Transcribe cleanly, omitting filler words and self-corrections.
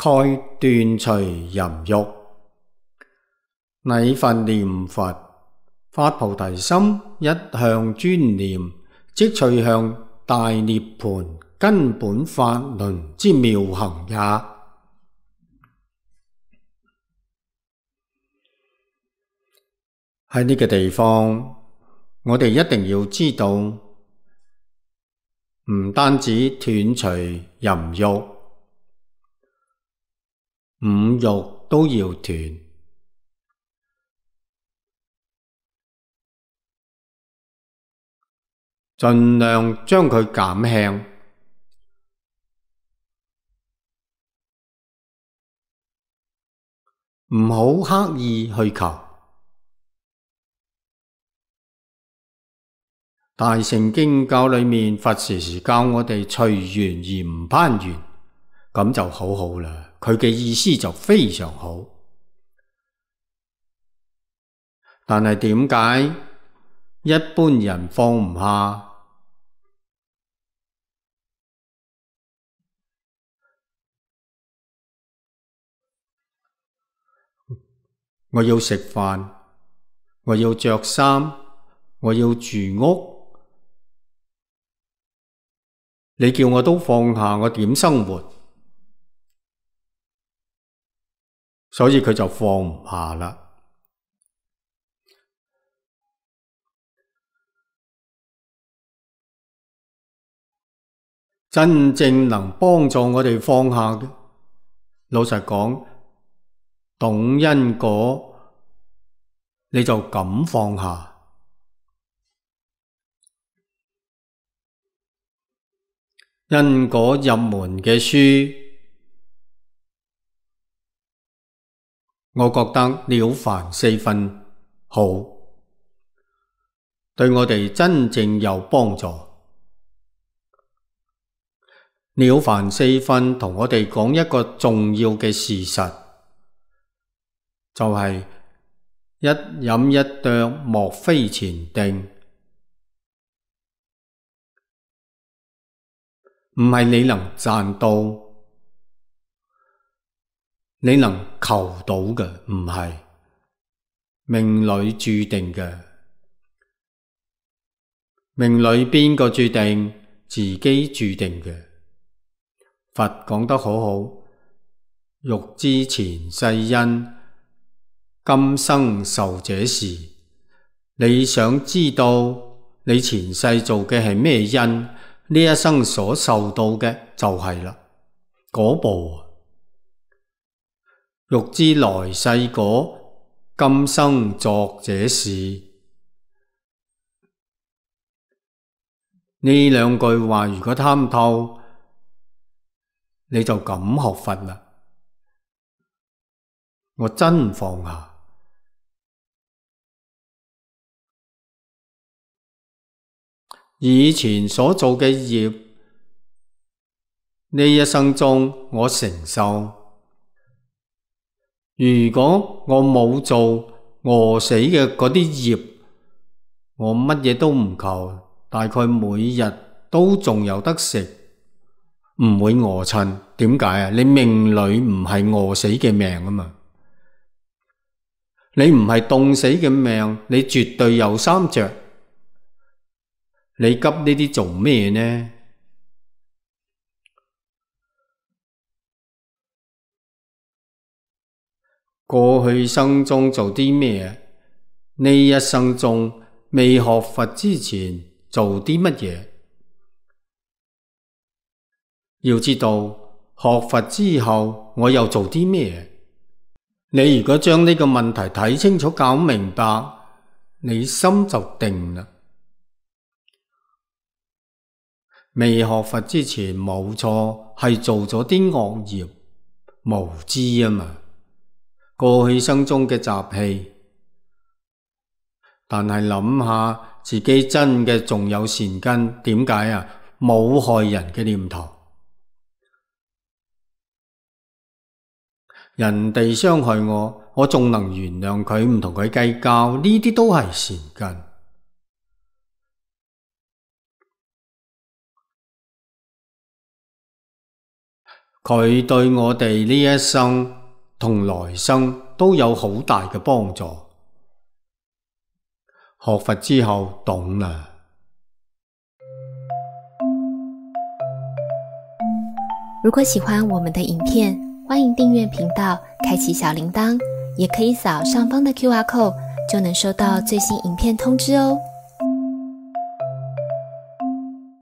蓋斷除淫欲。禮佛念佛，發菩提心，一向專念，即趣向大涅槃根本法輪之妙行也。喺呢個地方，我哋一定要知道，唔單止斷除淫欲，五欲都要斷。盡量將佢減輕，唔好刻意去求。大乘經教裏面，佛時時教我哋隨緣而唔攀緣，咁就好好啦。佢嘅意思就非常好。但係點解一般人放唔下？我要食飯，我要着衫，我要住屋，你叫我都放下，我點生活？所以佢就放唔下啦。真正能幫助我哋放下嘅，老實講，懂因果，你就敢放下。因果入門嘅書，我覺得了凡四訓好，對我哋真正有幫助。了凡四訓同我哋講一個重要嘅事實，就係一飲一啄，莫非前定。唔係你能賺到，你能求到嘅，唔係命裏注定嘅。命裏邊個注定？自己注定嘅。佛講得好好，欲知前世因，今生受這事。你想知道你前世做嘅係咩因，呢一生所受到嘅就係啦，果報。欲知來世果，今生作這事。呢兩句話如果參透，你就敢學佛啦。我真放下。以前所做嘅業，呢一生中我承受。如果我冇做餓死嘅嗰啲業，我乜嘢都唔求，大概每日都仲有得食，唔會餓親。點解啊？你命裏唔係餓死嘅命啊嘛，你唔係凍死嘅命，你絕對有衫着。你急呢啲做咩呢？過去生中做啲咩？呢一生中未學佛之前做啲乜嘢？要知道學佛之後我又做啲咩？你如果將呢個問題睇清楚搞明白，你心就定啦。未學佛之前冇錯，係做咗啲惡業，無知啊嘛，過去生中嘅習氣。但係諗下自己真嘅仲有善根，點解啊？冇害人嘅念頭。人哋傷害我，我仲能原諒佢，唔同佢計較，呢啲都係善根。佢對我哋呢一生同來生都有好大嘅幫助。學佛之後懂啦。如果喜歡我們的影片，歡迎訂閱頻道，開啟小鈴鐺，也可以掃上方的QR code，就能收到最新影片通知哦。